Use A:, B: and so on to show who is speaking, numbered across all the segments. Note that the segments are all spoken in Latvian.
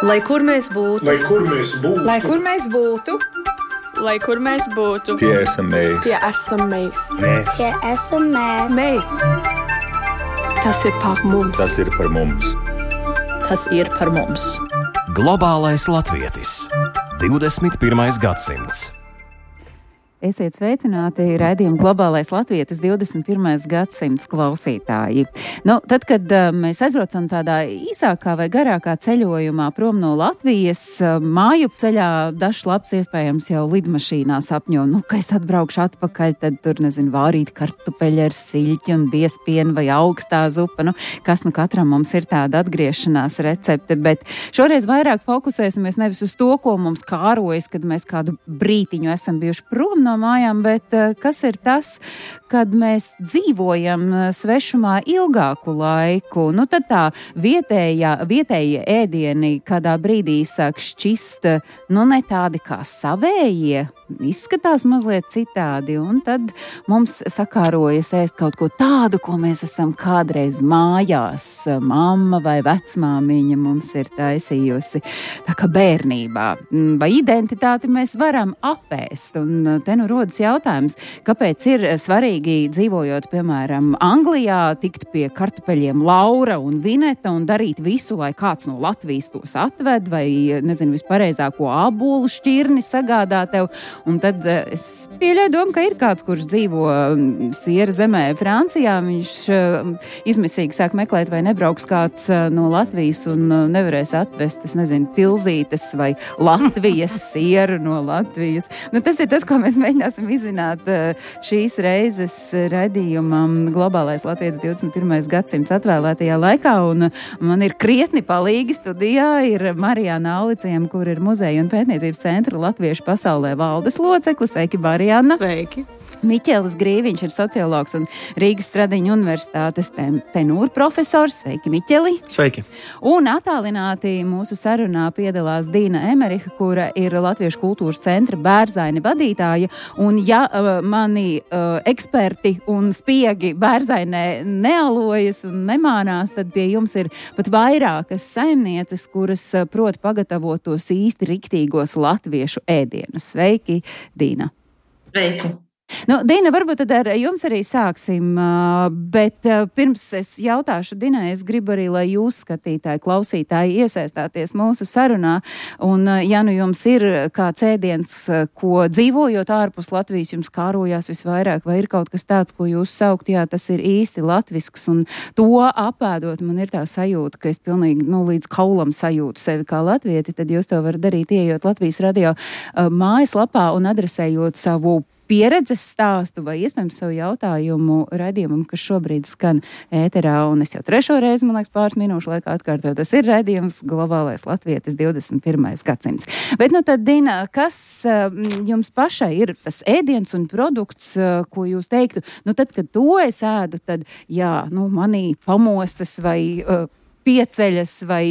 A: Lai kur mēs būtu,
B: lai kur mēs būtu,
C: lai kur mēs būtu,
D: lai kur mēs būtu,
E: tie esam mēs.
C: tie esam mēs.
F: Tie esam mēs.
C: Mēs.
A: tas ir par mums.
E: Tas ir par mums.
D: tas ir par mums.
G: Globālais latvietis. 21. gadsimts.
H: Esiet sveicināti raidījuma Globālais latvietis 21. gadsimts klausītāji. Tad, kad mēs aizbraucam tādā īsākā vai garākā ceļojumā prom no Latvijas, mājup ceļā dažs labs iespējams jau lidmašīnā sapņo, ka es atbraukšu atpakaļ, tad tur, vārīt kartupeļi ar siļķi un biespienu vai augstā zupa. Kas katram mums ir tāda atgriešanās recepte, bet šoreiz vairāk fokusēsimies nevis uz to, ko mums kārojas, kad mēs kādu brītiņu esam bijuši prom no mājām, bet kas ir tas, kad mēs dzīvojam svešumā ilgāku laiku. Tad tā vietējie ēdieni kādā brīdī sāk šķist, ne tādi kā savējie, izskatās mazliet citādi, un tad mums sakārojas ēst kaut ko tādu, ko mēs esam kādreiz mājās, mamma vai vecmāmiņa mums ir taisījusi, tā kā bērnībā. Vai identitāti mēs varam apēst? Un te rodas jautājums, kāpēc ir svarīgi dzīvojot, piemēram, Anglijā, tikt pie kartupeļiem Laura un Vineta un darīt visu, lai kāds no Latvijas tos atved, vai, vispareizāko ābolu šķirni sagādā tev. Un tad es pieļauju domu, ka ir kāds, kurš dzīvo Siera zemē Francijā, viņš izmisīgi sāk meklēt, vai nebrauks kāds no Latvijas un nevarēs atvest, tilzītes vai Latvijas sieru no Latvijas. Tas ir tas, ko mēs mēģināsim izzināt šīs reizes raidījumam Globālais latvietis 21. gadsimts atvēlētajā laikā, un man ir krietni palīgi studijā ir Marijāna Auliciem, kur ir Muzeja un pētniecības centra Latviešu pasaulē valdes loceklis. Sveiki, Marijāna!
A: Sveiki!
H: Miķelis Grīviņš ir sociologs un Rīgas Stradiņu universitātes tenūra profesors. Sveiki, Miķeli!
B: Sveiki!
H: Un attālināti mūsu sarunā piedalās Dīna Emeriha, kura ir Latviešu kultūras centra Bērzaini vadītāja. Un ja mani eksperti un spiegi Bērzainē nealojas un nemānās, tad pie jums ir pat vairākas saimnieces, kuras prot pagatavot tos īsti riktīgos latviešu ēdienus. Sveiki, Dīna!
I: Sveiki!
H: Dīna, varbūt tad ar jums arī sāksim, bet pirms es jautāšu Dinai, es gribu arī, lai jūs, skatītāji, klausītāji, iesaistāties mūsu sarunā, un ja jums ir kāds ēdiens, ko dzīvojot ārpus Latvijas jums kārojās visvairāk, vai ir kaut kas tāds, ko jūs saukt, jā, tas ir īsti latvisks, un to apēdot, man ir tā sajūta, ka es pilnīgi, līdz kaulam sajūtu sevi kā latvieti, tad jūs to varat darīt, ieejot Latvijas radio mājaslapā un adresējot savu pieredzes stāstu vai iespējams savu jautājumu raidījumam, kas šobrīd skan ēterā, un es jau trešo reizi, man liekas, pāris minūšu laikā atkārtoju, tas ir raidījums Globālais latvietis 21. gadsimts. Bet tad, Dina, kas jums pašai ir tas ēdiens un produkts, ko jūs teiktu, tad, kad to es ēdu, tad, jā, manī pamostas vai pieceļas vai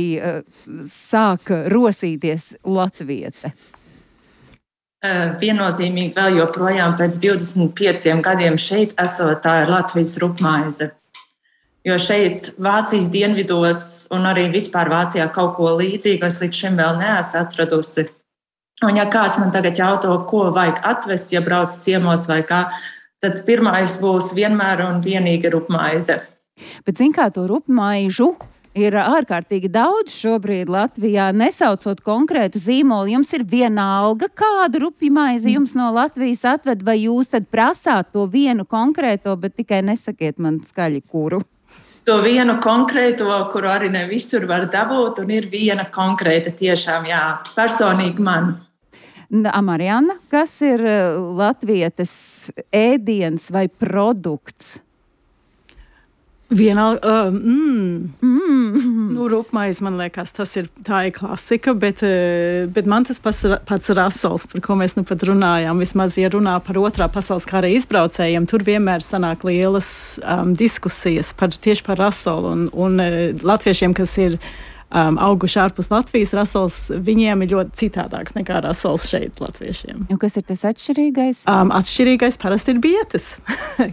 H: sāk rosīties latviete?
I: Viennozīmīgi vēl joprojām pēc 25 gadiem šeit esot, tā ir Latvijas rupmaize. Jo šeit Vācijas dienvidos un arī vispār Vācijā kaut ko līdzīgu es līdz šim vēl neesmu atradusi. Un ja kāds man tagad jauto, ko vajag atvest, ja brauc ciemos vai kā, tad pirmais būs vienmēr un vienīgi rupmaize.
H: Bet zin kā to rupmaižu ir ārkārtīgi daudz šobrīd Latvijā, nesaucot konkrētu zīmolu. Jums ir vienalga, kādu rupju maizi jums no Latvijas atved, vai jūs tad prasāt to vienu konkrēto, bet tikai nesakiet man skaļi kuru?
I: To vienu konkrēto, kuru arī ne visur var dabūt, un ir viena konkrēta tiešām, jā, personīgi man.
H: Marijāna, kas ir latvietes ēdiens vai produkts?
A: Vienalga, rupmaize, man liekas, tā ir klasika, bet man tas pats rasols, par ko mēs pat runājām, vismaz, ja runā par otrā pasaules kara izbraucējiem, tur vienmēr sanāk lielas diskusijas tieši par rasolu un latviešiem, kas ir auguši ārpus Latvijas, rasols viņiem ir ļoti citādāks nekā rasols šeit latviešiem.
H: Kas ir tas atšķirīgais?
A: Atšķirīgais parasti ir bietes,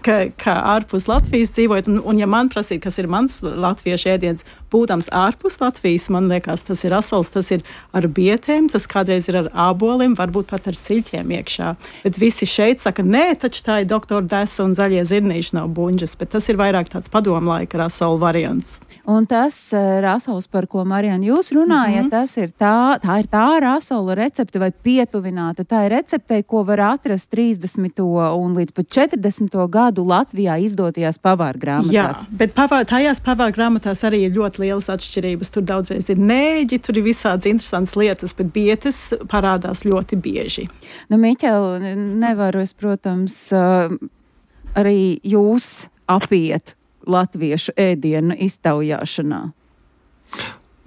A: ka ārpus Latvijas dzīvojot, un ja man prasīt, kas ir mans latviešu ēdiens, būdams ārpus Latvijas, man liekas, tas ir rasols, tas ir ar bietēm, tas kādreiz ir ar āboliem, varbūt pat ar siļķiem iekšā. Bet visi šeit saka, nē, taču tā ir doktora desa un zaļie zirnīši nav buņģas, bet tas ir vairāk tāds padomlaika rasola variants.
H: Un tas rasols, par ko, Marijana, jūs runājat, tas ir tā ir tā rasola recepte vai pietuvināta. Tā ir receptei, ko var atrast 30. un līdz pat 40. gadu Latvijā izdotajās pavārgrāmatās.
A: Jā, bet tajās pavārgrāmatās arī ir ļoti lielas atšķirības. Tur daudzreiz ir nēģi, tur ir visādas interesantas lietas, bet bietes parādās ļoti bieži.
H: Miķel, nevaru es, protams, arī jūs apiet latviešu ēdienu iztaujāšanā.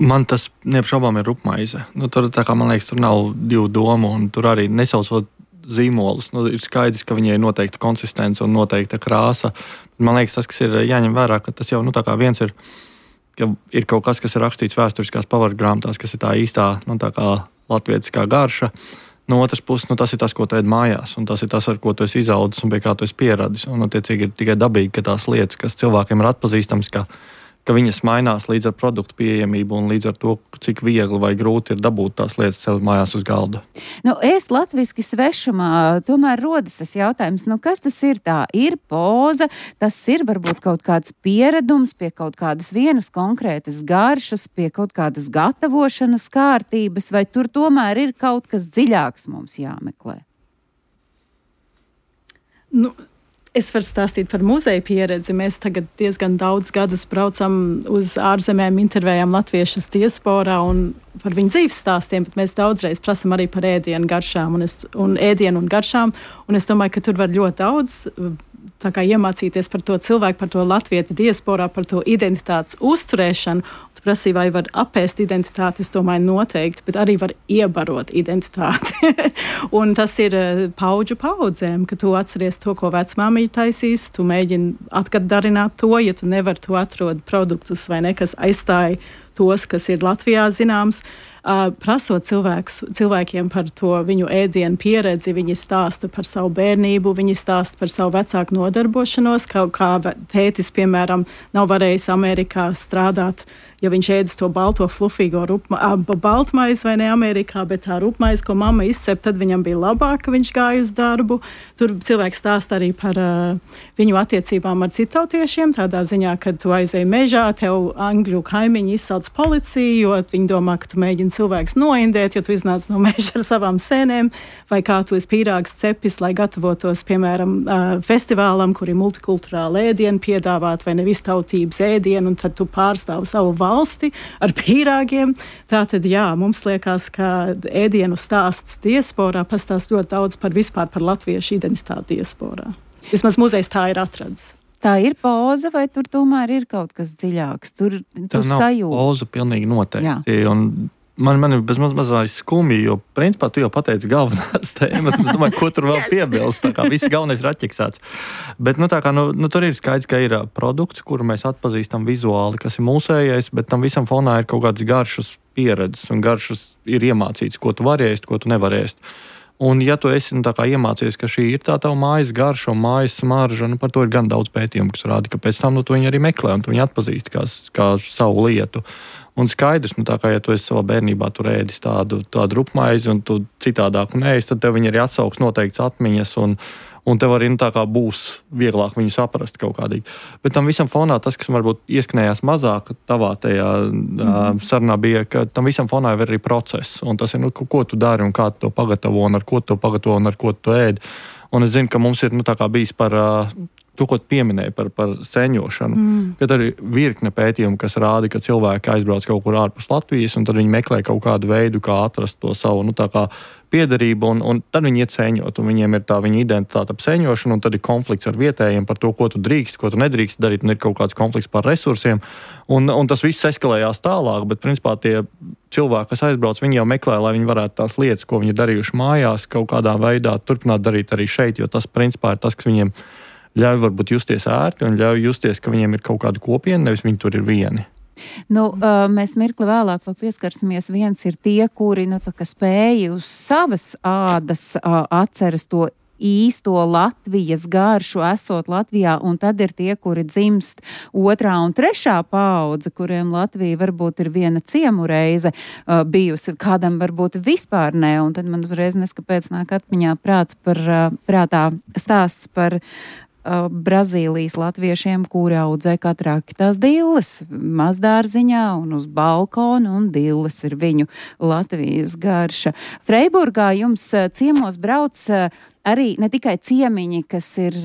B: Man tas neapšaubām ir rupmaize. Tur, tā kā, man liekas, tur nav divu domu, un tur arī nesaucot zīmolus. Ir skaidrs, ka viņai ir noteikta konsistence un noteikta krāsa. Man liekas, tas, kas ir jāņem vērā, ka tas jau, tā kā viens ir, ka ir kaut kas ir rakstīts vēsturiskās pavārgrāmatās, kas ir tā īstā, tā kā latvietiskā garša. No otras puses, tas ir tas, ko tu ēd mājās, un tas ir tas, ar ko tu esi izaudzis un pie kā tu esi pieradis. Un, attiecīgi, ir tikai dabīgi, ka tās lietas, kas cilvēkiem ir atpazīstams, ka viņas mainās līdz ar produktu pieejamību un līdz ar to, cik viegli vai grūti ir dabūt tās lietas sev mājās uz galda.
H: Ēst latviski svešumā, tomēr rodas tas jautājums, kas tas ir? Tā ir poza, tas ir varbūt kaut kāds pieredums pie kaut kādas vienas konkrētas garšas, pie kaut kādas gatavošanas kārtības, vai tur tomēr ir kaut kas dziļāks mums jāmeklē?
A: Es varu stāstīt par muzeja pieredzi. Mēs tagad diezgan daudz gadus braucam uz ārzemēm, intervējam latviešus diasporā un par viņu dzīves stāstiem, bet mēs daudzreiz prasam arī par ēdienu garšām un ēdienu un garšām. Un es domāju, ka tur var ļoti daudz tā kā iemācīties par to cilvēku, par to latviešu diasporā, par to identitātes uzturēšanu. Tu prasīji, vai var apēst identitāti, es domāju noteikti, bet arī var iebarot identitāti. Un tas ir paudžu paudzēm, ka tu atceries to, ko vecmāmiņa taisīs, tu mēģini atgadarināt to, ja tu nevar to atrod produktus vai nekas aizstāja tos, kas ir Latvijā zināms. Prasot cilvēkiem par to viņu ēdienu pieredzi, viņi stāsta par savu bērnību, viņi stāsta par savu vecāku nodarbošanos, kā tētis, piemēram, nav varējis Amerikā strādāt, ja viņš ēdis to balto flufīgo baltmaizi vai ne Amerikā, bet tā rupmaizi, ko mamma izcep, tad viņam bija labāk, ka viņš gāja uz darbu. Tur cilvēks stāsta arī par viņu attiecībām ar citautiešiem, tādā ziņā, kad tu aizēji mežā, tev angļu kaimiņi izsauc policiju, jo viņi domā, ka tu mēģini cilvēks noindēt, ja tu iznāc no meža ar savām sēnēm, vai kā tu esi pīrāgs cepis, lai gatavotos, piemēram, festivālam, kur ir multikulturāla ēdienu piedāvāt, vai nevis tautības ēdienu, un tad tu pārstāvi savu valsti ar pīrāgiem. Tātad, jā, mums liekas, ka ēdienu stāsts diasporā pastāst ļoti daudz vispār par latviešu identitāti diasporā. Vismaz muzejs tā ir atradis.
H: Tā ir pauze, vai tur tomēr ir kaut kas dziļāks? Tur
B: nav
H: sajūta.
B: Pauze pilnīgi noteikti. Un man ir bezmazliet skumji, jo principā tu jau pateici galvenās tēmas. Es domāju, ko tur vēl piebilst. Tā kā viss galvenais ir atķeksēts. Bet tur ir skaidrs, ka ir produkts, kuru mēs atpazīstam vizuāli, kas ir mūsējais, bet tam visam fonā ir kaut kādas garšas pieredzes un garšas ir iemācīts, ko tu vari ēst, ko tu nevari ēst. Un ja tu esi iemācījies, ka šī ir tā tava mājas garša un mājas smarža, par to ir gan daudz pētījumu, kas rāda, ka pēc tam tu viņu arī meklē un tu viņu atpazīsti kā savu lietu. Un skaidrs, ja tu esi savā bērnībā tur ēdis tādu rupmaizi un tu citādāku neēst, tad tev viņi arī atsauks noteikts atmiņas un tev arī būs vieglāk viņu saprast kaut kādīgi. Bet tam visam fonā tas, kas varbūt ieskanējās mazāk tavā tajā sarunā bija, ka tam visam fonā ir arī process. Un tas ir, ko tu dari un kā tu to pagatavo un ar ko tu to pagatavo un ar ko tu ēd. Un es zinu, ka mums ir bijis par to, ko tu pieminēji par sēņošanu. Kad arī virkne pētījumu, kas rāda, ka cilvēki aizbrauc kaut kur ārpus Latvijas un tad viņi meklē kaut kādu veidu, kā atrast to savu piederību, un tad viņi iet sēņot, un viņiem ir tā viņa identitāte ap sēņošanu, un tad ir konflikts ar vietējiem par to, ko tu drīkst, ko tu nedrīkst darīt, un ir kaut kāds konflikts par resursiem, un tas viss eskalējās tālāk, bet principā tie cilvēki, kas aizbrauc, viņi jau meklē, lai viņi varētu tās lietas, ko viņi darījuši mājās, kaut kādā veidā turpināt darīt arī šeit, jo tas principā ir tas, kas viņiem ļauj varbūt justies ērti un ļauj justies, ka viņiem ir kaut kāda kopiena, nevis viņi tur ir vieni.
H: Nu, mēs mirkli vēlāk pieskarsimies. Viens ir tie, kuri spēja uz savas ādas atceras to īsto Latvijas garšu, esot Latvijā, un tad ir tie, kuri dzimst 2. un 3. paudze, kuriem Latvija varbūt ir viena ciemu reize bijusi, kādam varbūt vispār ne, un tad man uzreiz neskapēc nāk atmiņā prātā stāsts par Brazīlijas latviešiem, kuri audzē katrāki tās dilles mazdārziņā un uz balkona, un dilles ir viņu Latvijas garša. Freiburgā jums ciemos brauc arī ne tikai ciemiņi, kas ir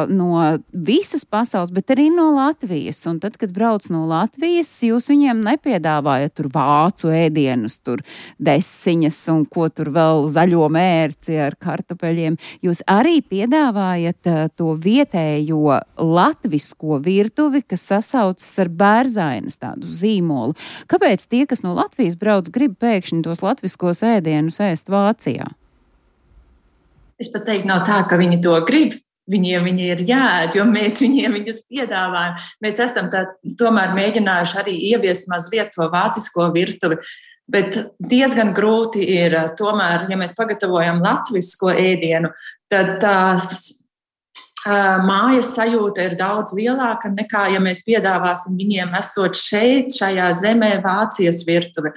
H: no visas pasaules, bet arī no Latvijas. Un tad, kad brauc no Latvijas, jūs viņiem nepiedāvājat tur vācu ēdienus, tur desiņas un ko tur vēl zaļo mērci ar kartupeļiem. Jūs arī piedāvājat to vietējo latvisko virtuvi, kas sasaucas ar Bērzainas tādu zīmolu. Kāpēc tie, kas no Latvijas brauc, grib pēkšņi tos latviskos ēdienus ēst Vācijā?
I: Es pat teiktu, nav tā, ka viņi to grib. Viņiem viņi ir jāēd, jo mēs viņiem viņus piedāvājam. Mēs esam tomēr mēģinājuši arī ieviest mazliet to vācisko virtuvi, bet diezgan grūti ir tomēr, ja mēs pagatavojam latvisko ēdienu, tad tās mājas sajūta ir daudz lielāka nekā, ja mēs piedāvāsim viņiem esot šeit, šajā zemē, Vācijas virtuvi.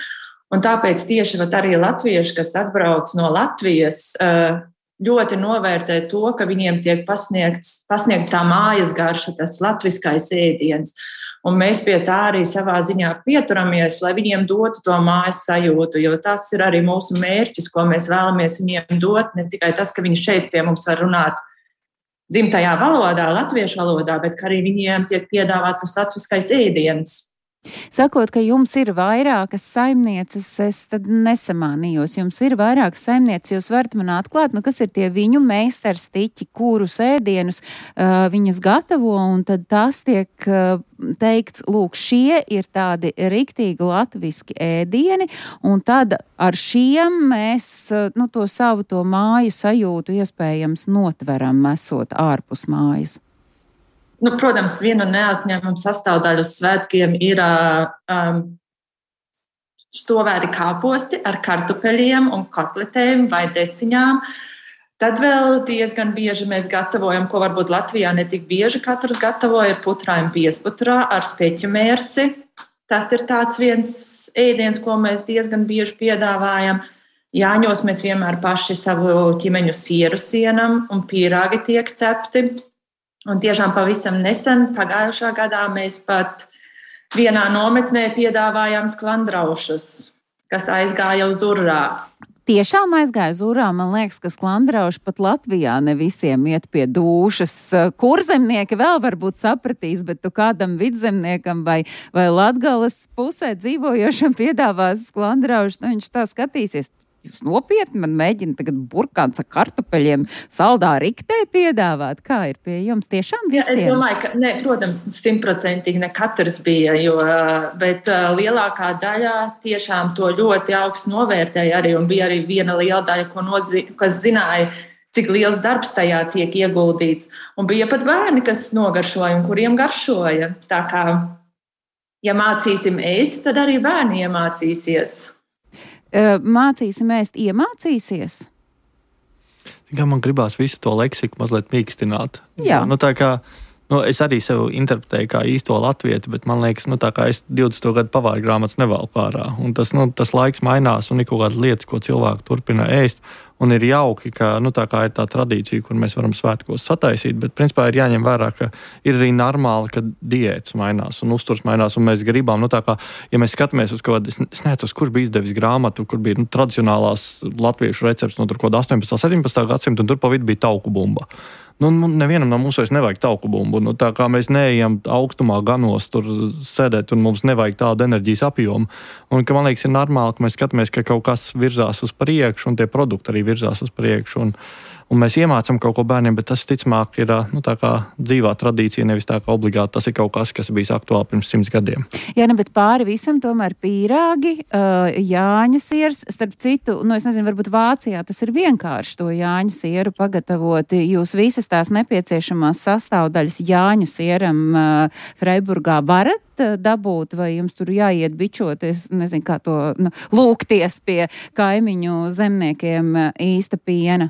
I: Un tāpēc tieši arī latvieši, kas atbrauc no Latvijas, ļoti novērtē to, ka viņiem tiek pasniegts tā mājas garša, tas latviskais ēdiens. Un mēs pie tā arī savā ziņā pieturamies, lai viņiem dotu to mājas sajūtu, jo tas ir arī mūsu mērķis, ko mēs vēlamies viņiem dot. Ne tikai tas, ka viņi šeit pie mums var runāt dzimtajā valodā, latviešu valodā, bet ka arī viņiem tiek piedāvāts tas latviskais ēdiens.
H: Sakot, ka jums ir vairākas saimnieces, es tad nesamānījos. Jums ir vairākas saimnieces, jūs varat man atklāt, kas ir tie viņu meistarstiķi, kurus ēdienus viņas gatavo, un tad tas tiek teikts, lūk, šie ir tādi riktīgi latviski ēdieni, un tad ar šiem mēs to savu to māju sajūtu iespējams notveram, esot ārpus mājas.
I: Protams, viena neatņemama sastāvdaļa uz svētkiem ir stovēti kāposti ar kartupeļiem un kotletēm vai desiņām. Tad vēl diezgan bieži mēs gatavojam, ko varbūt Latvijā ne tik bieži katrs gatavoja, ir putrājumi piesputrā ar speķu mērci. Tas ir tāds viens ēdiens, ko mēs diezgan bieži piedāvājam. Jāņos mēs vienmēr paši savu ķimeņu sieru sienam un pīrāgi tiek cepti. Un tiešām pavisam nesen, pagājušā gadā, mēs pat vienā nometnē piedāvājām sklandraušus, kas aizgāja uz urā.
H: Tiešām aizgāja uz urā, man liekas, ka sklandrauši pat Latvijā ne visiem iet pie dūšas. Kurzemnieki vēl varbūt sapratīs, bet tu kādam vidzemniekam vai Latgales pusē dzīvojošam piedāvās sklandraušus, viņš tā skatīsies. Jūs nopietni man mēģina tagad burkāns ar kartupeļiem saldā riktē piedāvāt? Kā ir pie jums tiešām visiem?
I: Es domāju, ka, protams, 100% ne katrs bija, bet lielākā daļā tiešām to ļoti augstu novērtēja arī, un bija arī viena liela daļa, kas zināja, cik liels darbs tajā tiek ieguldīts. Un bija pat bērni, kas nogaršoja un kuriem garšoja. Tā kā, ja mācīsim ēst, tad arī bērni iemācīsies.
H: Mācīsim ēst, iemācīsies?
B: Kā man gribās visu to leksiku mazliet mīkstināt.
H: Jā.
B: Tā kā, es arī sev interpretēju kā īsto latvieti, bet man liekas, tā kā es 20. gadu pavāru grāmatas nevalku ārā. Un tas laiks mainās un ir kaut kādas lietas, ko cilvēki turpina ēst. Un ir jauki, ka tā kā ir tā tradīcija, kur mēs varam svētkos sataisīt, bet principā ir jāņem vērā, ka ir arī normāli, ka diētas mainās un uzturs mainās, un mēs gribam, tā kā, ja mēs skatāmies uz kaut kādu, es neatceros, kurš bija izdevis grāmatu, kur bija tradicionālās latviešu recepts no tur kaut 18. 17. gadsimta, un tur pa vidu bija tauku bumba. Nevienam no mums vairs nevajag tauku bumbu. Tā kā mēs neejam augstumā ganos tur sēdēt, un mums nevajag tādu enerģijas apjomu. Un ka man liekas, ir normāli, ka mēs skatāmies, ka kaut kas virzās uz priekšu, un tie produkti arī virzās uz priekšu. un mēs iemācām kaut ko bērniem, bet tas, ticamāk, ir tā kā dzīvā tradīcija, nevis tā kā obligāti tas ir kaut kas bijis aktuāli pirms 100 gadiem.
H: Jā, bet pāri visam tomēr pīrāgi, jāņu sieras, starp citu, es nezinu, varbūt Vācijā tas ir vienkārši to jāņu sieru pagatavot. Jūs visas tās nepieciešamās sastāvdaļas jāņu sieram Freiburgā varat dabūt, vai jums tur jāiet bičoties, nezinu, kā to lūgties pie kaimiņu zemniekiem īsta piena?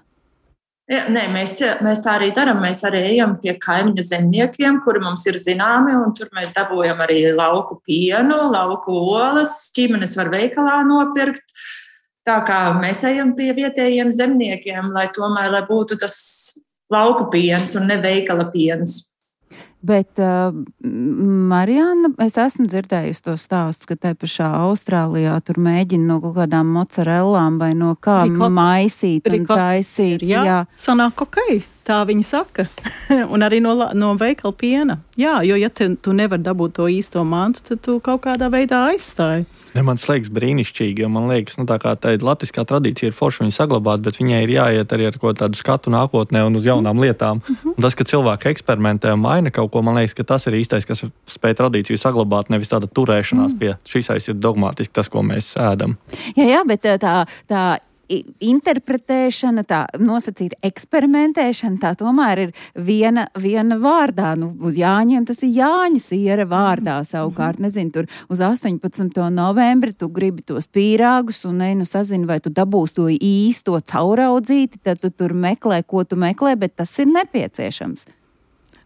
I: Ja, nē, mēs tā arī darām. Mēs arī ejam pie kaimiņa zemniekiem, kuri mums ir zināmi, un tur mēs dabūjam arī lauku pienu, lauku olas, ķimenes var veikalā nopirkt. Tā kā mēs ejam pie vietējiem zemniekiem, lai būtu tas lauku piens un ne veikala piens.
H: Bet, Marijāna, es esmu dzirdējusi to stāstu, ka tai pašā Austrālijā tur mēģina no kaut kādām mozzarellām vai no kā maisīt un taisīt.
A: Jā, sanāk ok, tā viņi saka. Un arī no veikala piena. Jā, jo ja tu nevar dabūt to īsto mantu, tad tu kaut kādā veidā aizstāji.
B: Man liekas brīnišķīgi, jo man liekas, tā kā tā latviskā tradīcija ir forša viņu saglabāt, bet viņai ir jāiet arī ar ko tādu skatu nākotnē un uz jaunām lietām. Un tas, ka cilvēki eksperimentē un maina kaut ko, man liekas, ka tas ir īstais, kas spēj tradīciju saglabāt, nevis tāda turēšanās pie šīs ir dogmātiski tas, ko mēs ēdam.
H: Jā, bet tā interpretēšana, tā nosacīta eksperimentēšana, tā tomēr ir viena vārdā. Uz Jāņiem tas ir Jāņa siera vārdā savukārt. Nezinu, tur uz 18. novembri tu gribi tos pīrāgus un sazini, vai tu dabūsi to īsto cauraudzīti, tad tu tur meklē, ko tu meklē, bet tas ir nepieciešams.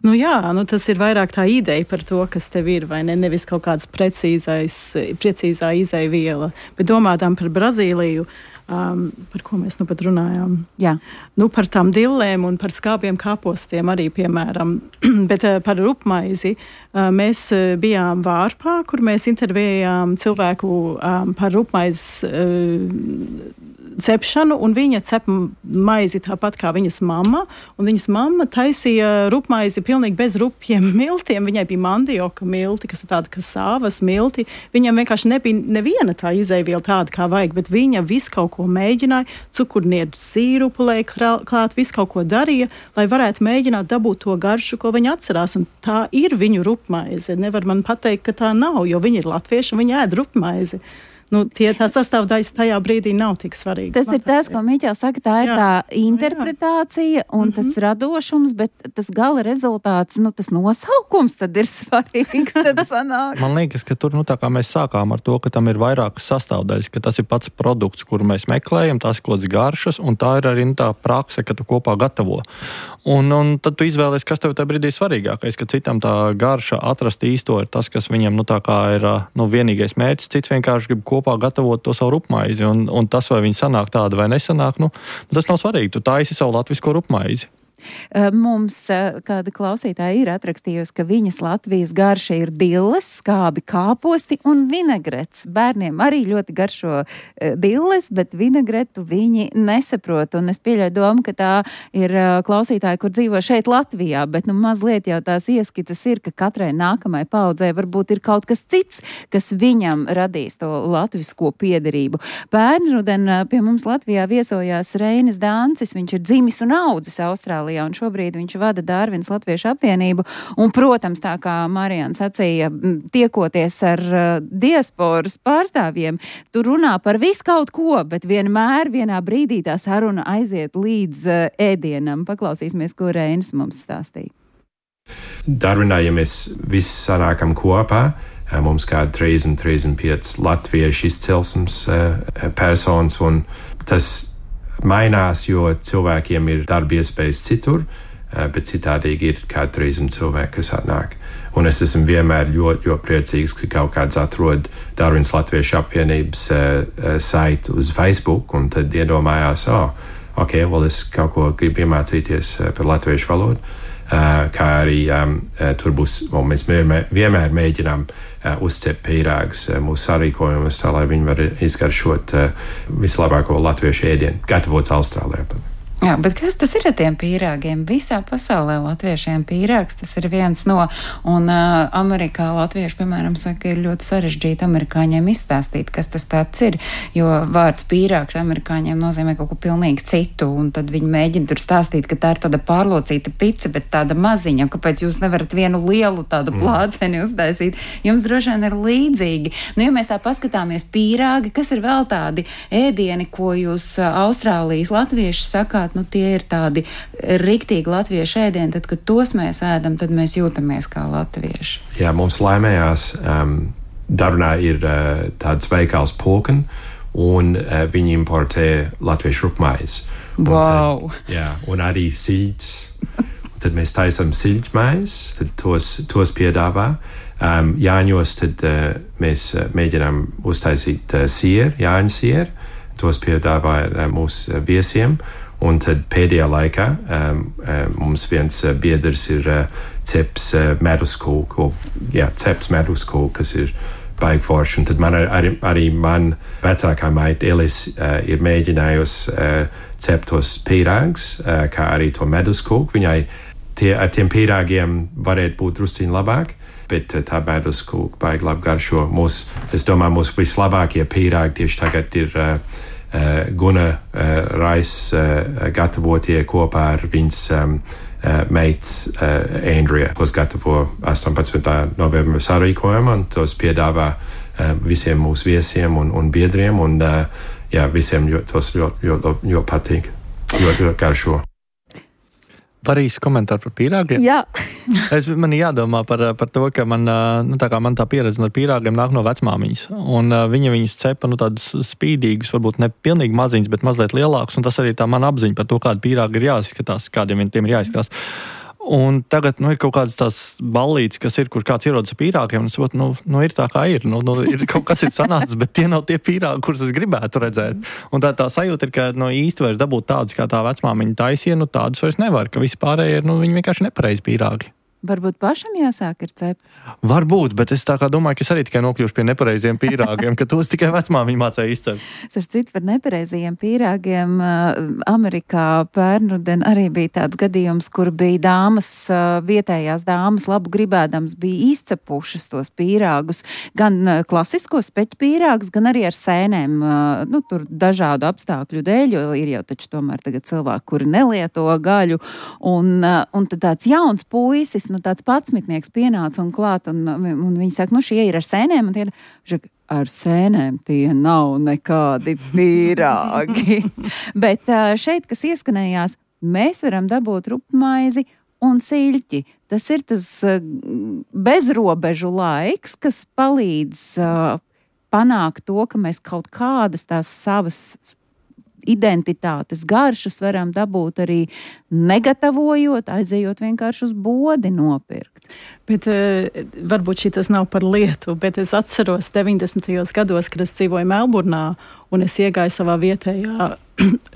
A: Jā, tas ir vairāk tā ideja par to, kas tev ir, vai ne? Nevis kaut kāds precīzā izejviela. Bet domātām par Brazīliju, par ko mēs pat runājām.
H: Jā.
A: Par tām dillēm un par skābiem kāpostiem arī, piemēram. Bet par rupmaizi mēs bijām Vārpā, kur mēs intervējām cilvēku par rupmaizes cepšanu, un viņa cep maizi tāpat kā viņas mamma, un viņas mamma taisīja rupmaizi pilnīgi bez rupjiem miltiem. Viņai bija mandioka milti, kas ir tāda kā sāvas milti. Viņam vienkārši nebija neviena tā izejviela tāda, kā vajag, bet viņa visu kaut ko mēģināja, cukurniedu sīrupu lai klāt, visu kaut ko darīja, lai varētu mēģināt dabūt to garšu, ko viņa atcerās, un tā ir viņu rupmaize. Nevar man pateikt, ka tā nav, jo viņi ir latvieši un viņi ēd rupmaizi. Tā sastāvdaļas tajā brīdī nav tik svarīga.
H: Tas ir tas, ko Miķels saka, tā ir tā interpretācija un tas radošums, bet tas gala rezultāts, tas nosaukums tad ir svarīgs. Tad sanāk.
B: Man liekas, ka tur, tā kā mēs sākām ar to, ka tam ir vairākas sastāvdaļas, ka tas ir pats produkts, kuru mēs meklējam, tās ir kaut kādas garšas, un tā ir arī tā prakse, ka tu kopā gatavo. Un tad tu izvēlies, kas tev tajā brīdī svarīgākais, ka citam tā garša atrast īsto ir tas, kas viņam, tā kā ir vienīgais mērķis, cits vienkārši grib kopā gatavot to savu rupmaizi, un tas, vai viņi sanāk tāda vai nesanāk, tas nav svarīgi. Tu taisi savu latvisko rupmaizi.
H: Mums kāda klausītāja ir atrakstījusi, ka viņas Latvijas garša ir dilles, skābi kāposti un vinegrets. Bērniem arī ļoti garšo dilles, bet vinegretu viņi nesaprot. Un es pieļauju domu, ka tā ir klausītāja, kur dzīvo šeit Latvijā, bet mazliet jau tās ieskices ir, ka katrai nākamai paudzei varbūt ir kaut kas cits, kas viņam radīs to latvisko piederību. Pērnruden pie mums Latvijā viesojās Reinis Dancis, viņš ir dzimis un audzis Austrālijā, un šobrīd viņš vada Dārvinas Latviešu apvienību. Un, protams, tā kā Marijāna sacīja, tiekoties ar diasporas pārstāvjiem, tur runā par visu kaut ko, bet vienmēr vienā brīdī tā saruna aiziet līdz ēdienam. Paklausīsimies, ko Reinis mums stāstīja.
E: Dārvinā, ja mēs visi sanākam kopā, mums kādi 35 latviešu izcelsmes personas, un tas mainās, jo cilvēkiem ir darba iespējas citur, bet citādīgi ir kādi 300 cilvēki, kas atnāk. Un es esmu vienmēr ļoti priecīgs, ka kaut kāds atrod Dārvinas Latviešu apvienības saiti uz Facebook, un tad iedomājās, es kaut ko gribu iemācīties par latviešu valodu. Kā arī tur būs, mēs vienmēr mēģinām uzcept pīrāgus mūsu sarīkojumus, tā lai viņi var izgaršot vislabāko latviešu ēdienu, gatavots Austrālijā.
H: Jā, bet kas tas ir ar tiem pīrāgiem? Visā pasaulē latviešiem pīrāgs tas ir viens no, un Amerikā latvieši, piemēram, saka, ir ļoti sarežģīti amerikāņiem izstāstīt, kas tas tāds ir, jo vārds pīrāgs amerikāņiem nozīmē kaut ko pilnīgi citu, un tad viņi mēģina tur stāstīt, ka tā ir tāda pārlocīta pica, bet tāda maziņa, kāpēc jūs nevarat vienu lielu tādu plāceni uztaisīt? Jums droši vien ir līdzīgi. Nu, ja mēs tā paskatāmies pīrāgi, kas ir vēl tādi ēdieni, ko jūs Austrālijas latvieši sakāt, nu tie ir tādi riktīgi latviešu ēdieni, tad, kad tos mēs ēdam, tad mēs jūtamies kā latvieši.
E: Jā, mums laimējās, Darunā ir tāds veikals Pulkan, un viņi importē latviešu rupmaizi.
H: Wow!
E: Un arī siļķis. Tad mēs taisam siļķmaizi, tad tos piedāvā. Jāņos tad mēs mēģinām uztaisīt sieru, jāņu sieru. Tos piedāvā mūsu viesiem. Un tad pēdējā laikā mums viens biedrs ir ceps meduskūku, kas ir baigi forši. Un tad arī man vecākā maita Elis ir mēģinājusi cept tos pīrāgus, kā arī to meduskūku. Viņai ar tiem pīrāgiem varētu būt drusciņi labāk, bet tā meduskūka baigi labi garšo. Es domāju, mūsu vislabākie pīrāgi tieši tagad ir Guna Rais gatavotie kopā ar viņas meitas Andrea, tos gatavo 18. novembra sarīkojumu, un tos piedāvā visiem mūsu viesiem un biedriem, un visiem tos ļoti patīk, ļoti garšo.
B: Var īsi komentāru par pīrāgiem?
H: Jā.
B: Man jādomā par to, ka man tā pieredze ar pīrāgiem nāk no vecmāmiņas. Un viņa viņus cepa tādus spīdīgus, varbūt ne pilnīgi maziņus, bet mazliet lielākus. Un tas arī tā man apziņa par to, kāda pīrāga ir jāizskatās, kādiem tiem ir jāizskatās. Un tagad ir kaut kādas tās ballītes, kas ir, kur kāds ierodas ar pīrāgiem, un es saprotu, ir tā kā ir. Ir kaut kas ir sanācis, bet tie nav tie pīrāgi, kurus es gribētu redzēt. Un tā sajūta ir, ka īsti vairs dabūt tādus, kā tā vecmāmiņa taisīja, tādus vairs nevar, ka visi pārējie ir, viņi vienkārši nepareizi pīrāgi.
H: Varbūt pašam jāsāk ar cepu?
B: Varbūt, bet es tā kā domāju, ka es arī tikai nokļūšu pie nepareiziem pīrāgiem, ka tos tikai vecmāmiņa mācēja izcept.
H: Starp citu, par nepareizajiem pīrāgiem Amerikā pērnruden arī bija tāds gadījums, kur bija dāmas, vietējās dāmas labu gribēdams bija izcepušas tos pīrāgus, gan klasiskos speķu pīrāgus, gan arī ar sēnēm, tur dažādu apstākļu dēļ, jo ir jau taču tomēr tagad cilvēki, kuri nelieto gaļu, un tad tāds jauns puisis, tāds patsmitnieks pienāca un klāt, un viņi saka, šie ir ar sēnēm, un tie ir, ar sēnēm tie nav nekādi pīrāgi. Bet šeit, kas ieskanējās, mēs varam dabūt rupmaizi un siļķi. Tas ir tas bezrobežu laiks, kas palīdz panākt to, ka mēs kaut kādas tās savas identitātes garšas varam dabūt arī negatavojot, aizejot vienkārši uz bodi nopirkt.
A: Bet varbūt šitas nav par lietu, bet es atceros 90. gados, kad es dzīvoju Melburnā, un es iegāju savā vietējā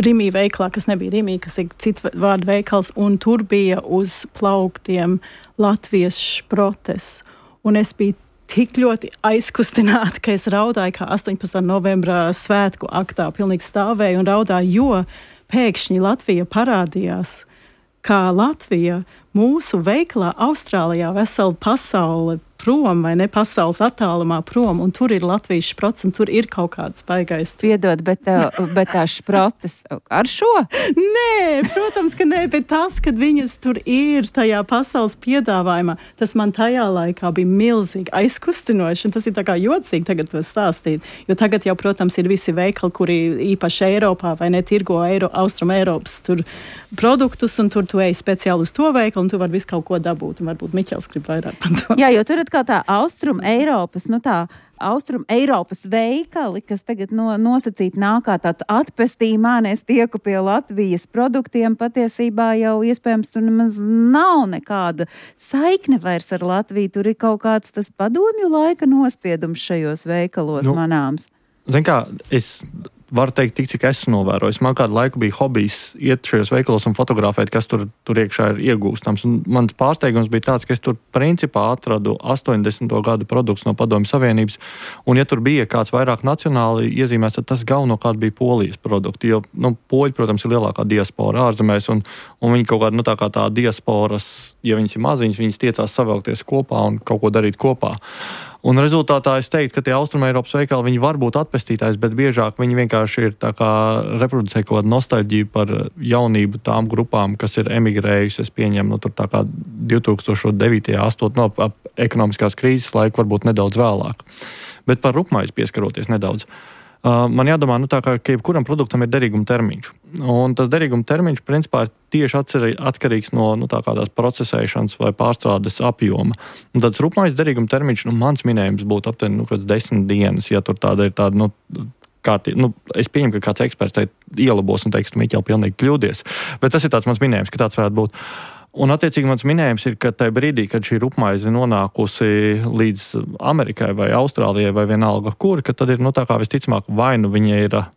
A: Rimī veikalā, kas nebija Rimī, kas ir cits vārdu veikals, un tur bija uz plauktiem latviešu šprotes. Un es biju tik ļoti aizkustināta, ka es raudāju kā 18. novembrā svētku aktā, pilnīgi stāvēju un raudāju, jo pēkšņi Latvija parādījās, kā Latvija mūsu veikalā Austrālijā vesela pasaule prom, vai ne, pasaules attālumā prom, un tur ir Latvijas šprots, un tur ir kaut kāds baigais.
H: Piedod, bet tā šprotes ar šo?
A: Nē, protams, ka nē, bet tas, kad viņas tur ir tajā pasaules piedāvājumā, tas man tajā laikā bija milzīgi aizkustinoši, un tas ir tā kā jocīgi tagad to stāstīt, jo tagad jau, protams, ir visi veikali, kuri īpaši Eiropā, vai ne, tirgo Austrum Eiropas tur produktus, un tur tu ej speciāli uz to veikalu, un tu vari visu kaut ko dabūt, un varbūt Miķels grib vairāk par to.
H: Jā, jo tur kā tā Austrum Eiropas veikali, kas tagad nosacīti nāk kā tāds atpestījumā, es tieku pie Latvijas produktiem, patiesībā jau iespējams tur nemaz nav nekāda saikne vairs ar Latviju, tur ir kaut kāds tas padomju laika nospiedums šajos veikalos manāms.
B: Zin kā, Var teikt, tik cik esmu novērojis. Man kādu laiku bija hobijs iet šajos veikalos un fotografēt, kas tur iekšā ir iegūstams. Un mans pārsteigums bija tāds, ka es tur principā atradu 80. gadu produkts no Padomju Savienības, un ja tur bija kāds vairāk nacionāli iezīmēts, tad tas galvenokārt bija Polijas produkti, jo, poļi, protams, ir lielākā diaspora ārzemēs, un viņi kaut kāda, tā kā tā diasporas, ja viņas ir maziņas, viņas tiecās savēlties kopā un kaut ko darīt kopā. Un rezultātā es teiktu, ka tie Austrumeiropas veikali, viņi var būt atpestītājs, bet biežāk viņi vienkārši ir tā kā reproducē kaut kādu nostalģiju par jaunību tām grupām, kas ir emigrējusi, es pieņemu, tur tā kā 2009. 2008. Ekonomiskās krīzes laiku, varbūt nedaudz vēlāk. Bet par rupmaizi pieskaroties nedaudz. Man jādomā, tā kā jebkuram produktam ir derīguma termiņš. Un tas derīguma termiņš, principā, ir tieši atkarīgs no tā kā tās procesēšanas vai pārstrādes apjoma. Un tāds rupmaizi derīguma termiņš, mans minējums būtu aptuveni, 10 dienas, ja tur tāda ir tāda, es pieņemu, ka kāds eksperts ielabos un teiks, tu Miķel pilnīgi kļūdies. Bet tas ir tāds mans minējums, ka tāds varētu būt. Un, attiecīgi, mans minējums ir, ka tajā brīdī, kad šī rupmaize nonākusi līdz Amerikai vai Austrālijai vai vienalga kur, ka tad ir, tā kā visticamāk, vai viņa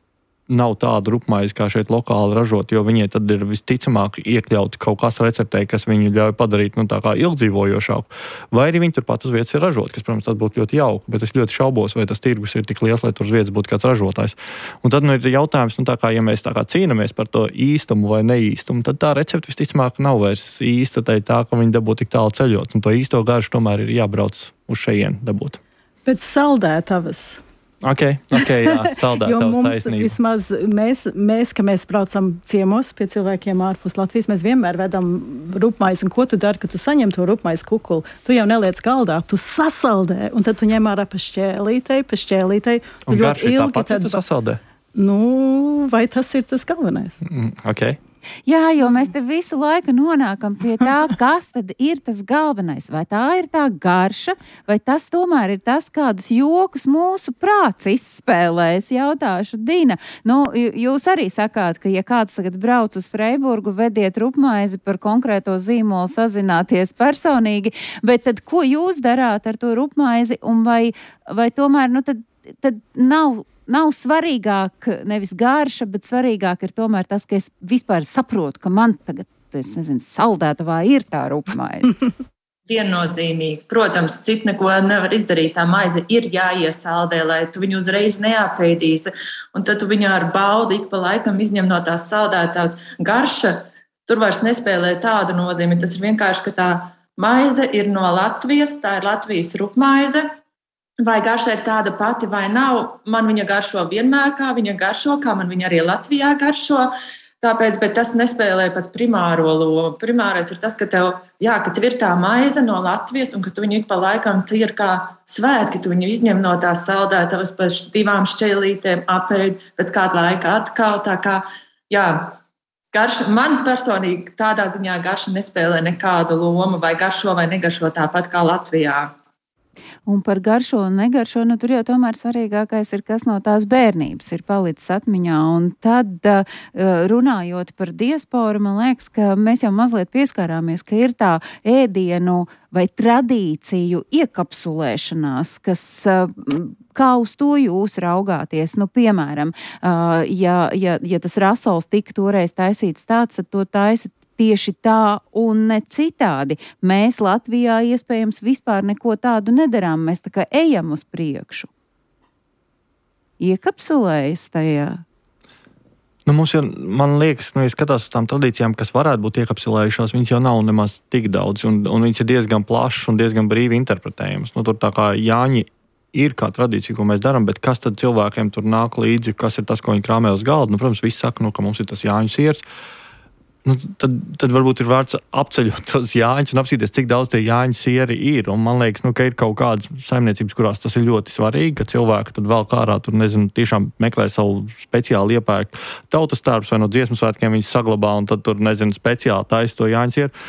B: nav tāda rupmaize, kā šeit lokāli ražot, jo viņai tad ir visticamāk iekļauti kaut kas receptē, kas viņu ļauj padarīt, tā kā ilgdzīvojošāku. Vai arī viņi turpat uz vietas ir ražot, kas, protams, tas būtu ļoti jauki, bet es ļoti šaubos, vai tas tirgus ir tik liels, lai tur uz vietas būtu kāds ražotājs. Un tad, ir jautājums, tā kā, ja mēs tā kā cīnamies par to īstumu vai neīstumu, tad tā recepte visticamāk nav vairs īsta, tā, ka viņi dabū tik tālu ceļot, un to īsto garšu tomēr ir jābrauc uz šejien dabūt.
A: Pēc saldētavas.
B: Ok, jā, saldētavas taisnība.
A: Jo mums vismaz ka mēs braucam ciemos pie cilvēkiem ārpus Latvijas, mēs vienmēr vedam rupmaizi, un ko tu dari, kad tu saņem to rupmaizi kukuli? Tu jau neliec galdā, tu sasaldē, un tad tu ņem ārā pa šķēlītei.
B: Un garši tāpat, tu sasaldē?
A: Vai tas ir tas galvenais?
B: Ok.
H: Jā, jo mēs te visu laiku nonākam pie tā, kas tad ir tas galvenais. Vai tā ir tā garša, vai tas tomēr ir tas, kādus jokus mūsu prāts izspēlē. Es jautāšu Dina. Jūs arī sakāt, ka ja kāds tagad brauc uz Freiburgu, vediet rupmaizi par konkrēto zīmolu, sazināties personīgi, bet tad ko jūs darāt ar to rupmaizi, un vai tomēr, tad nav svarīgāk nevis garša, bet svarīgāk ir tomēr tas, ka es vispār saprotu, ka man tagad, saldētavā ir tā rupmaize.
I: Viennozīmīgi. Protams, cit neko nevar izdarīt. Tā maize ir jāiesaldē, lai tu viņu uzreiz neapēdīsi. Un tad tu viņu ar baudu ik pa laikam izņem no tās saldētās. Garša tur vairs nespēlē tādu nozīmi. Tas ir vienkārši, ka tā maize ir no Latvijas, tā ir Latvijas rupmaize. Vai garša ir tāda pati vai nav, man viņa garšo vienmēr, kā viņa garšo, kā man viņa arī Latvijā garšo. Tāpēc, bet tas nespēlē pat primāro lomu. Primārais ir tas, ka tev ir tā maize no Latvijas, un ka tu viņu ik pa laikam ir kā svētki, tu viņu izņem no tās saldētavas pa 2 šķēlītēm, apēd, pēc kāda laika atkal. Tā kā, garša, man personīgi tādā ziņā garša nespēlē nekādu lomu, vai garšo vai negaršo tāpat kā Latvijā.
H: Un par garšo un negaršo, tur jau tomēr svarīgākais ir, kas no tās bērnības ir palicis atmiņā. Un tad, runājot par diasporu, man liekas, ka mēs jau mazliet pieskārāmies, ka ir tā ēdienu vai tradīciju iekapsulēšanās, kas, kā uz to jūs raugāties? Piemēram, ja tas rasols tika toreiz taisīts tāds, tad to taisa tieši tā un ne citādi. Mēs Latvijā iespējams vispār neko tādu nedarām. Mēs tā kā ejam uz priekšu. Iekapsulējas tajā?
B: Mums jau, man liekas, ja skatās uz tām tradīcijām, kas varētu būt iekapsulējušās, viņas jau nav nemaz tik daudz, un viņas ir diezgan plašas un diezgan brīvi interpretējamas. Tur tā kā Jāņi ir kā tradīcija, ko mēs darām, bet kas tad cilvēkiem tur nāk līdzi, kas ir tas, ko viņi krāmē uz galda? Protams, visi saka, ka mums ir tas Jāņu siers. Tad varbūt ir vērts apceļot tos jāņus un apsīties, cik daudz tie jāņu sieri ir. Un man liekas, ka ir kaut kādas saimniecības, kurās tas ir ļoti svarīgi, ka cilvēki tad vēl kārā tur, tiešām meklē savu speciāli iepērk tautas tērpus vai no dziesmu svētkiem viņus saglabā un tad tur, speciāli taisa to jāņu sieru.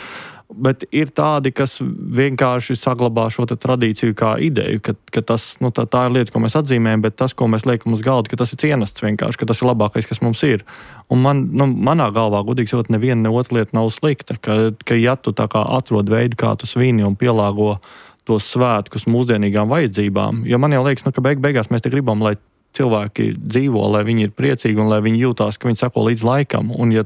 B: Bet ir tādi, kas vienkārši saglabā šo tradīciju kā ideju, ka tas, tā ir lieta, ko mēs atzīmējam, bet tas, ko mēs liekam uz galda, ka tas ir cienasts vienkārši, ka tas ir labākais, kas mums ir. Un manā galvā, godīgi sakot, neviena ne otra lieta nav slikta, ka ja tu tā kā atrod veidu, kā tu svini un pielāgo tos svētkus mūsdienīgām vajadzībām, jo man jau liekas, ka beigās mēs te gribam, lai cilvēki dzīvo, lai viņi ir priecīgi un lai viņi jūtās, ka viņi sako līdz laikam. Un ja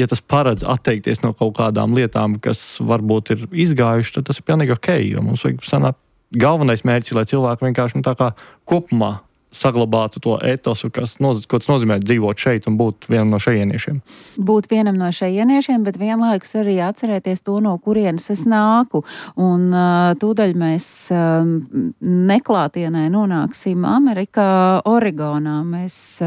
B: tas paredz atteikties no kaut kādām lietām, kas varbūt ir izgājuši, tad tas ir pilnīgi ok, jo mums vajag sanāt galvenais mērķis, lai cilvēki vienkārši tā kā kopumā saglabātu to etosu, ko tas nozīmē dzīvot šeit un būt vienam no šejieniešiem.
H: Būt vienam no šejieniešiem, bet vienlaikus arī atcerēties to, no kurienes es nāku. Un tūdaļ mēs neklātienē nonāksim Amerikā, Oregonā. Mēs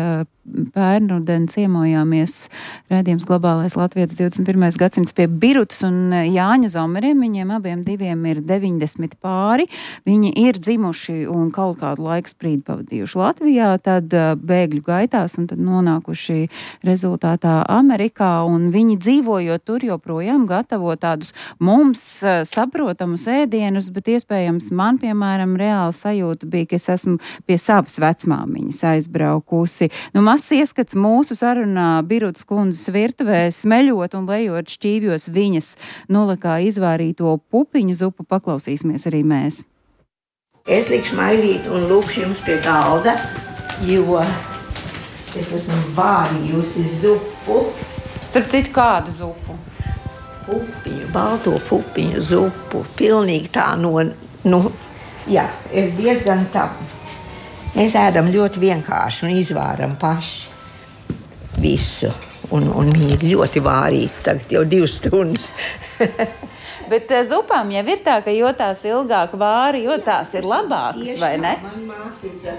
H: pērnruden ciemojāmies raidījums Globālais Latvijas 21. gadsimts pie Birutas un Jāņa Zomeriem. Viņiem abiem diviem ir 90 pāri. Viņi ir dzimuši un kaut kādu laiku sprīdi pavadījuši Latvijā, tad bēgļu gaitās un tad nonākuši rezultātā Amerikā. Un viņi dzīvojot tur joprojām gatavo tādus mums saprotamus ēdienus, bet iespējams man, piemēram, reāli sajūta bija, ka es esmu pie savas vecmāmiņas aizbraukusi. Mazs ieskats mūsu sarunā Birutas kundzes virtuvē, smeļot un lejot šķīvjos viņas nulekā izvārīto pupiņu zupu, paklausīsimies arī mēs.
J: Es likšu maizīt un lūkšu jums pie galda, jo es esmu vārījusi zupu.
H: Starp citu, kādu zupu?
J: Pupiņu, balto pupiņu zupu. Pilnīgi tā es diezgan tā. Mēs ēdam ļoti vienkārši un izvāram paši visu. Un viņi ir ļoti vārīgi, tagad jau 2 stundas.
H: Bet zupām jau ir tā, ka jo tās ilgāk vāri, jo tās ir labākas, tieši vai ne?
J: Man māsīca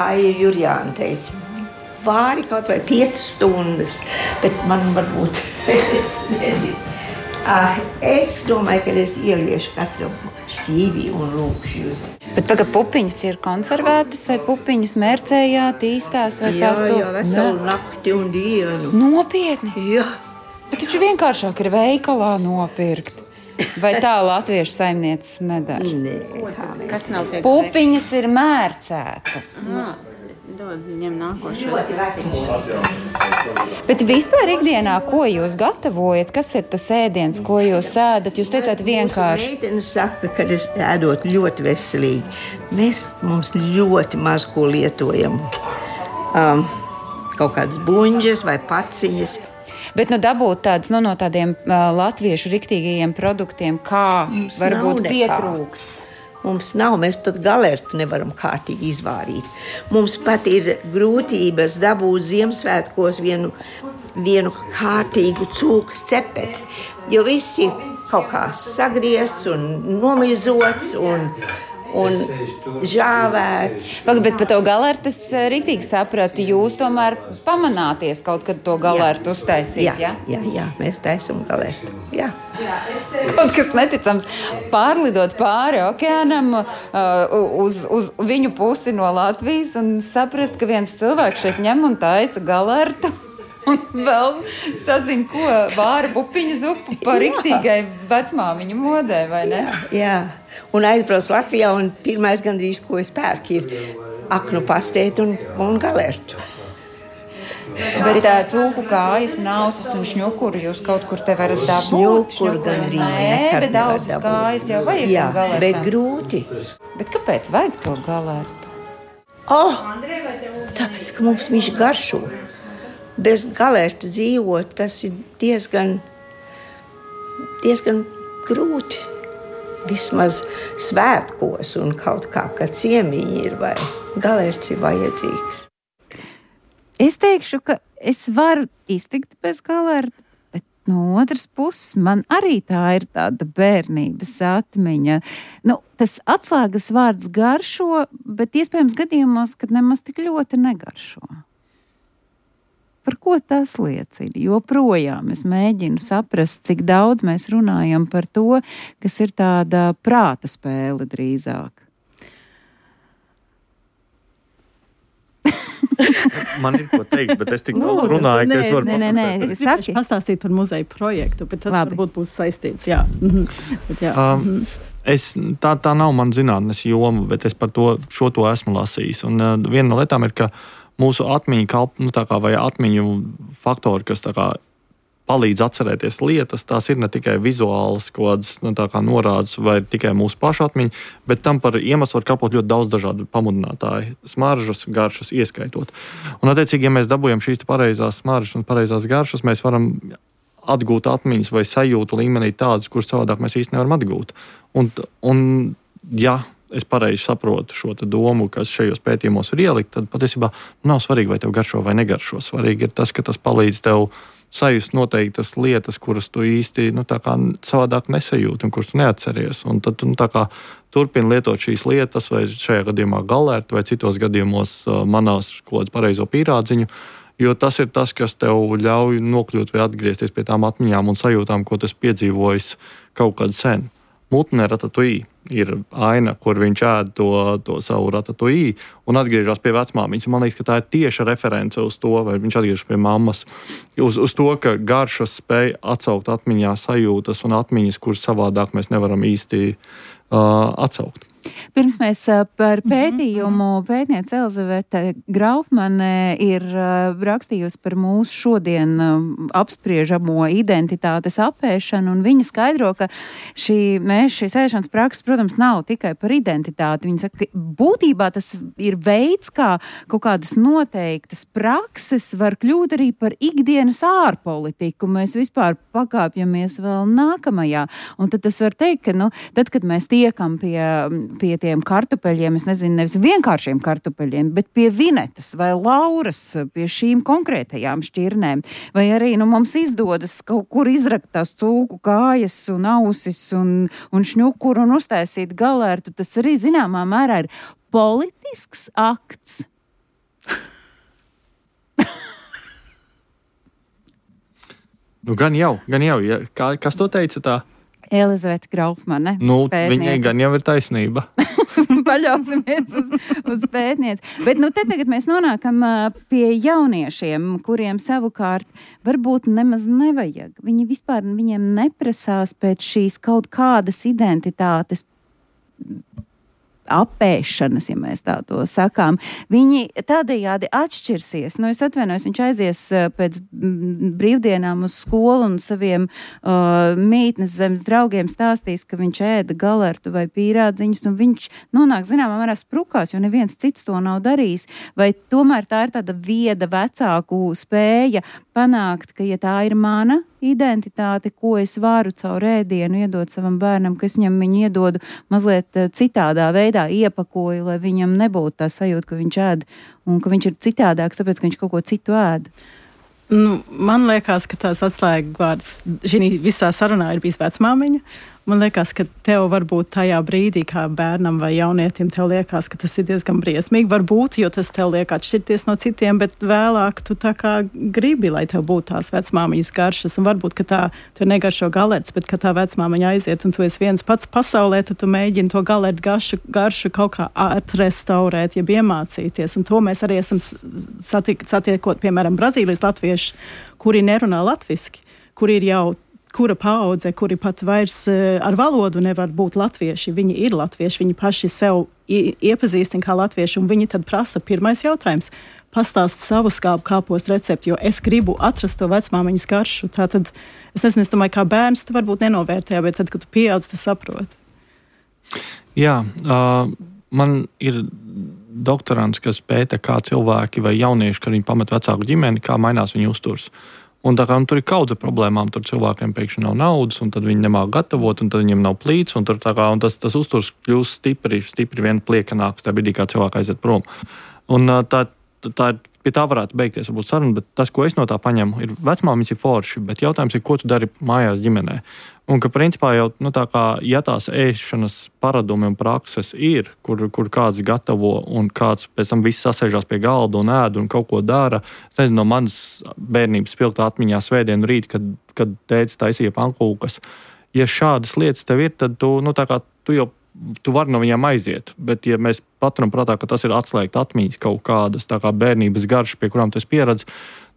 J: Aija Jurjāna teica, vāri kaut vai 5 stundas, bet man varbūt, es nezinu. Es domāju, ka es ieliešu katru šķīvi un lūkšu jūs.
H: Bet tagad pupiņas ir konservētas vai pupiņas mērcējāt, īstās vai tās to?
J: Jā, veselu nakti un dienu.
H: Nopietni?
J: Jā.
H: Bet taču vienkāršāk ir veikalā nopirkt. Vai tā latviešu saimnieces nedara?
J: Nē, tā mēs.
C: Kas nav teiks?
H: Pupiņas ir mērcētas.
C: Dod viņam nākošos.
H: Bet vispār ikdienā, ko jūs gatavojat? Kas ir tas ēdiens, ko jūs ēdat? Jūs teicāt vienkārši.
J: Meitene saka, ka es ēdot ļoti veselīgi. Mums ļoti maz ko lietojam. Kaut kādas buņģes vai paciņas.
H: Bet dabūt tādus no tādiem latviešu riktīgajiem produktiem, kā mums varbūt pietrūkst.
J: Mums nav, mēs pat galertu nevaram kārtīgi izvārīt. Mums pat ir grūtības dabūt Ziemassvētkos vienu kārtīgu cūkas cepeti, jo viss ir kaut kā sagriezts un nomizots un žāvēts.
H: Bet par to galertu es riktīgi sapratu, jūs tomēr pamanāties kaut kad to galertu uztaisīt, ja?
J: Jā, mēs taisam galertu, jā.
H: Kaut kas neticams, pārlidot pāri okeānam uz viņu pusi no Latvijas un saprast, ka viens cilvēks šeit ņem un taisa galertu. Un vēl sazina, ko vāra pupiņu zupu par riktīgai vecmāmiņu modē, vai ne?
J: Jā. Un aizbrauc Latvijā, un pirmais gandrīz, ko es pērku, ir aknu pastēti un galertu.
H: Bet cūku kājas un ausis un šņukuru jūs kaut kur te varat dabūt?
J: Šņukuru gandrīz
H: nekad bet ausis kājas jau vajag
J: jā,
H: galertam.
J: Bet grūti.
H: Bet kāpēc vajag to galertu?
J: Tāpēc, ka mums viņš garšo. Bez galerta dzīvot, tas ir diezgan grūti. Vismaz svētkos un kaut kā ciemiņi ir, vai galerts ir vajadzīgs.
H: Es teikšu, ka es varu iztikt bez galerta, bet no otras puses man arī tā ir tāda bērnības atmiņa. Tas atslēgas vārds garšo, bet iespējams gadījumos, kad nemaz tik ļoti negaršo. Par ko tas liecina? Joprojām es mēģinu saprast, cik daudz mēs runājam par to, kas ir tāda prāta spēle drīzāk.
B: Man ir ko teikt, bet es tik daudz runāju, ka es varu...
A: Nē, es gribēšu pastāstīt par muzeju projektu, bet tas varbūt būs saistīts, jā. Bet, jā.
B: Tā nav man zinātnes joma, bet es par šo to esmu lasījis. Un viena no lietām ir, ka mūsu atmiņu vai atmiņu faktori, kas palīdz atcerēties lietas, tās ir ne tikai vizuāls kaut kādas tā kā norādes vai tikai mūsu pašu atmiņa, bet tam par iemeslu var kalpot ļoti daudz dažādu pamudinātāju, smaržas, garšas ieskaitot. Un, attiecīgi, ja mēs dabūjam šīs pareizās smaržas un pareizās garšas, mēs varam atgūt atmiņas vai sajūtu līmenī tādas, kuras savādāk mēs īsti nevaram atgūt. Un ja es pareizi saprotu šo domu, kas šajos pētījumos ir ielikt, tad patiesībā nav svarīgi, vai tev garšo vai negaršo. Svarīgi ir tas, ka tas palīdz tev sajust noteiktas lietas, kuras tu īsti tā kā savādāk nesajūti un kuras tu neatceries. Un tad tu tā kā turpini lietot šīs lietas, vai šajā gadījumā galērti, vai citos gadījumos manās kaut kādu pareizo pīrādziņu, jo tas ir tas, kas tev ļauj nokļūt vai atgriezties pie tām atmiņām un sajūtām, ko tas piedzīvojis kaut kad sen. Mutne Ratatouille ir aina, kur viņš ēd to savu ratatouille un atgriežas pie vecmāmiņas. Man liekas, ka tā ir tieša reference uz to, vai viņš atgriežas pie mammas, uz to, ka garšas spēj atsaukt atmiņā sajūtas un atmiņas, kuras savādāk mēs nevaram īsti atsaukt.
H: Pirms mēs par pētījumu pētniece Elizavete Graufmane ir rakstījusi par mūsu šodien apspriežamo identitātes apēšanu, un viņa skaidro, ka šīs ēšanas prakses, protams, nav tikai par identitāti. Viņa saka, ka būtībā tas ir veids, kā kaut kādas noteiktas prakses var kļūt arī par ikdienas ārpolitiku. Mēs vispār pakāpjamies vēl nākamajā. Un tad tas var teikt, ka, tad, kad mēs tiekam pie tiem kartupeļiem, es nezinu, nevis vienkāršiem kartupeļiem, bet pie vinetas vai lauras, pie šīm konkrētajām šķirnēm. Vai arī mums izdodas kaut kur izrakt tās cūku kājas un ausis un šņukuru un uztaisīt galērtu. Tas arī zināmā mērā ir politisks akts.
B: Gan jau. Ja. Kas to teica tā?
H: Elizavete Graufmane.
B: Viņai gan jau ir taisnība.
H: Paļausimies uz pētnieci. Bet tagad mēs nonākam pie jauniešiem, kuriem savukārt varbūt nemaz nevajag. Viņi vispār viņiem neprasās pēc šīs kaut kādas identitātes apēšanas, ja mēs tā to sakām. Viņi tādējādi atšķirsies. Es atvainojos, viņš aizies pēc brīvdienām uz skolu un saviem mītnes zemes draugiem stāstīs, ka viņš ēda galertu vai pīrādziņus, un viņš nonāk zināmā mērā sprukās, jo neviens cits to nav darījis. Vai tomēr tā ir tāda vieda vecāku spēja panākt, ka, ja tā ir mana identitāte, ko es varu caur ēdienu iedot savam bērnam, ka es viņam viņu iedodu mazliet citādā veidā, iepakoju, lai viņam nebūtu tā sajūta, ka viņš ēd un ka viņš ir citādāks, tāpēc, ka viņš kaut ko citu ēd.
A: Man liekas, ka tās atslēgvārds šī visā sarunā ir bijis vecmāmiņa. Man liekas, ka tev varbūt tajā brīdī, kā bērnam vai jaunietim, tev liekas, ka tas ir diezgan briesmīgi. Varbūt, jo tas tev liek atšķirties no citiem, bet vēlāk tu tā kā gribi, lai tev būtu tās vecmāmiņas garšas. Un varbūt, ka tā tev negaršo galerts, bet ka tā vecmāmiņa aiziet un tu esi viens pats pasaulē, tad tu mēģini to galertu garšu kaut kā atrestaurēt, jeb iemācīties. Un to mēs arī esam satiekot, piemēram, Brazīlijas latvieši, kuri nerunā latviski, kuri ir jau kura paudze, kuri pat vairs ar valodu nevar būt latvieši. Viņi ir latvieši, viņi paši sev iepazīstina kā latvieši, un viņi tad prasa pirmais jautājums. Pastāst savu skābu kāpostu recepti, jo es gribu atrast to vecmāmiņas garšu. Tātad, es domāju, kā bērns tu varbūt nenovērtē, bet tad, kad tu pieaudz, tu saproti.
B: Jā, man ir doktorants, kas pēta, kā cilvēki vai jaunieši, kad viņi pamet vecāku ģimeni, kā mainās viņu uzturs. Un tā kā tur ir kaudze problēmām, tur cilvēkiem pēkšņi nav naudas, un tad viņi nemāk gatavot, un tad viņiem nav plīts, un tas uzturs kļūst stipri vien pliekanāks tajā brīdī, kā cilvēki aiziet prom. Un pie tā varētu beigties varbūt saruna, bet tas, ko es no tā paņemu, ir vecmāmiņas ir forši, bet jautājums ir, ko tu dari mājās ģimenē. Un ka principā jau, ja tās ēšanas paradumi un prakses ir, kur kāds gatavo un kāds pēc tam viss sasēžās pie galda un ēd un kaut ko dara, es nezinu, no manas bērnības spilgtā atmiņā svētdienu rīt, kad tētis taisīja pankūkas. Ja šādas lietas tev ir, tad tu vari no viņām aiziet, bet ja mēs paturam prātā, ka tas ir atslēgt atmiņas kaut kādas, tā kā bērnības garšas, pie kurām tu esi pieradis,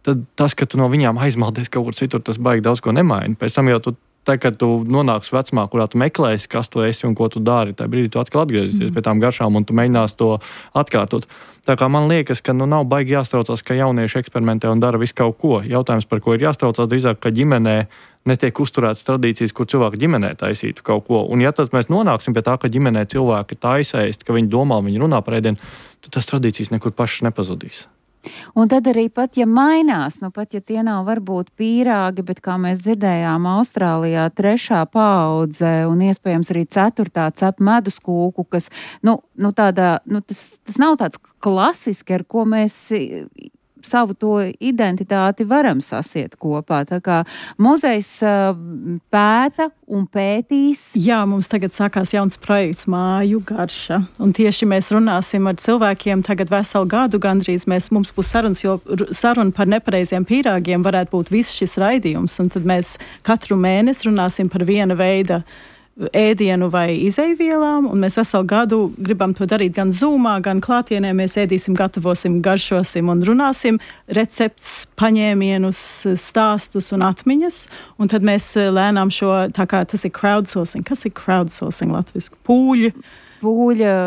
B: tad tas, ka tu no viņām aizmaldies kaut kur citur, tas baigi daudz ko nemaina. Pēc tam jau tu tā, kad tu nonāksi vecumā, kurā tu meklēsi, kas tu esi un ko tu dari, tajā brīdī tu atkal atgriezīsies pie tām garšām un tu mēģinās to atkārtot. Tā kā man liekas, ka nav baigi jāstraucās, ka jaunieši eksperimentē un dara visu kaut ko. Jautājums, par ko ir jāstraucās, drīzāk, ka ģimenē netiek uzturētas tradīcijas, kur cilvēki ģimenē taisītu kaut ko. Un ja tad mēs nonāksim pie tā, ka ģimenē cilvēki taisēst, ka viņi domā, viņi runā par ēdienu, tad tas tradīcijas nekur pašas nepazudīs.
H: Un tad arī pat, ja mainās, pat ja tie nav varbūt pīrāgi, bet kā mēs dzirdējām Austrālijā 3. paudze un iespējams arī 4. cep medus kūku, kas, tas nav tāds klasiski, ar ko mēs savu to identitāti varam sasiet kopā. Tā kā muzejs pēta un pētīs. Jā, mums tagad sākās jauns projekts Māju garša. Un tieši mēs runāsim ar cilvēkiem tagad veselu gadu gandrīz. Mums būs sarunas, jo saruna par nepareiziem pīrāgiem varētu būt viss šis raidījums. Un tad mēs katru mēnesi runāsim par viena veida ēdienu vai izejvielām, un mēs veselu gadu gribam to darīt gan Zoomā, gan klātienē. Mēs ēdīsim, gatavosim, garšosim un runāsim recepts, paņēmienus, stāstus un atmiņas, un tad mēs lēnām tā kā tas ir crowdsourcing. Kas ir crowdsourcing latviski? Pūļa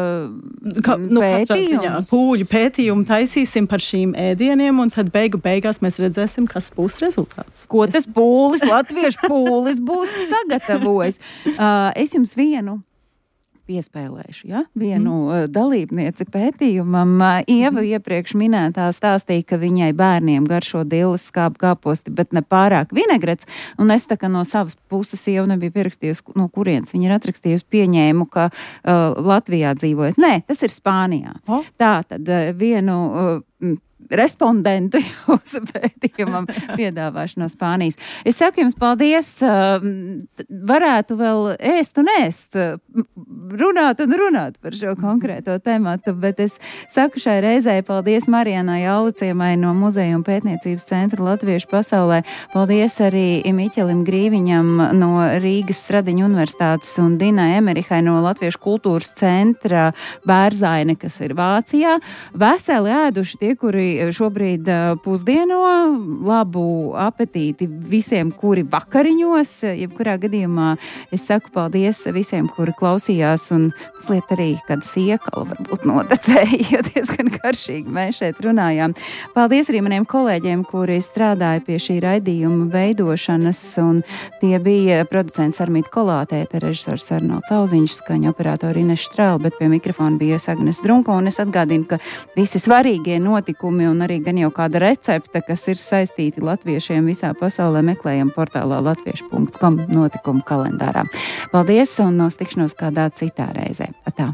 H: pētījums. Pūļu pētījumu taisīsim par šīm ēdieniem, un tad beigās mēs redzēsim, kas būs rezultāts. Ko tas pūlis, latviešu pūlis būs sagatavojis. Es jums vienu piespēlēšu, vienu dalībnieci pētījumam. Ieva iepriekš minētā stāstīja, ka viņai bērniem garšo dilles skābu kāposti, bet ne pārāk vinegrets, un es tā kā no savas puses Ieva nebija pierakstījusi, no kurienes viņa ir atrakstījusi, pieņēmu, ka Latvijā dzīvojot. Nē, tas ir Spānijā. Tā tad vienu respondentu jūsu pētījumam piedāvāšu no Spānijas. Es saku jums paldies, varētu vēl ēst un ēst, runāt par šo konkrēto tematu, bet es saku šai reizei paldies Marijanai Alicimai no Muzeja un pētniecības centra Latviešu pasaulē. Paldies arī Miķelim Grīviņam no Rīgas Stradiņu universitātes un Dinai Emerihai no Latviešu kultūras centra Bērzaine, kas ir Vācijā. Veseli ēduši tie, kuri šobrīd pusdieno, labu apetīti visiem, kuri vakariņos. Jebkurā gadījumā es saku paldies visiem, kuri klausījās un mazliet arī kāda siekala varbūt notecēja, jo diezgan garšīgi mēs šeit runājām. Paldies arī maniem kolēģiem, kuri strādāja pie šī raidījuma veidošanas, un tie bija producents Armīta Kolātēta, režisors Arnolds Auziņš, skaņa operatori Ineša Strēla, bet pie mikrofona bija Agnes Drunko, un es atgādinu, ka visi svarīgie notikumi un arī gan jau kāda recepte, kas ir saistīti latviešiem visā pasaulē, meklējam portālā latviešu.com notikumu kalendārā. Paldies un uz tikšanos kādā citā reizē. Atā!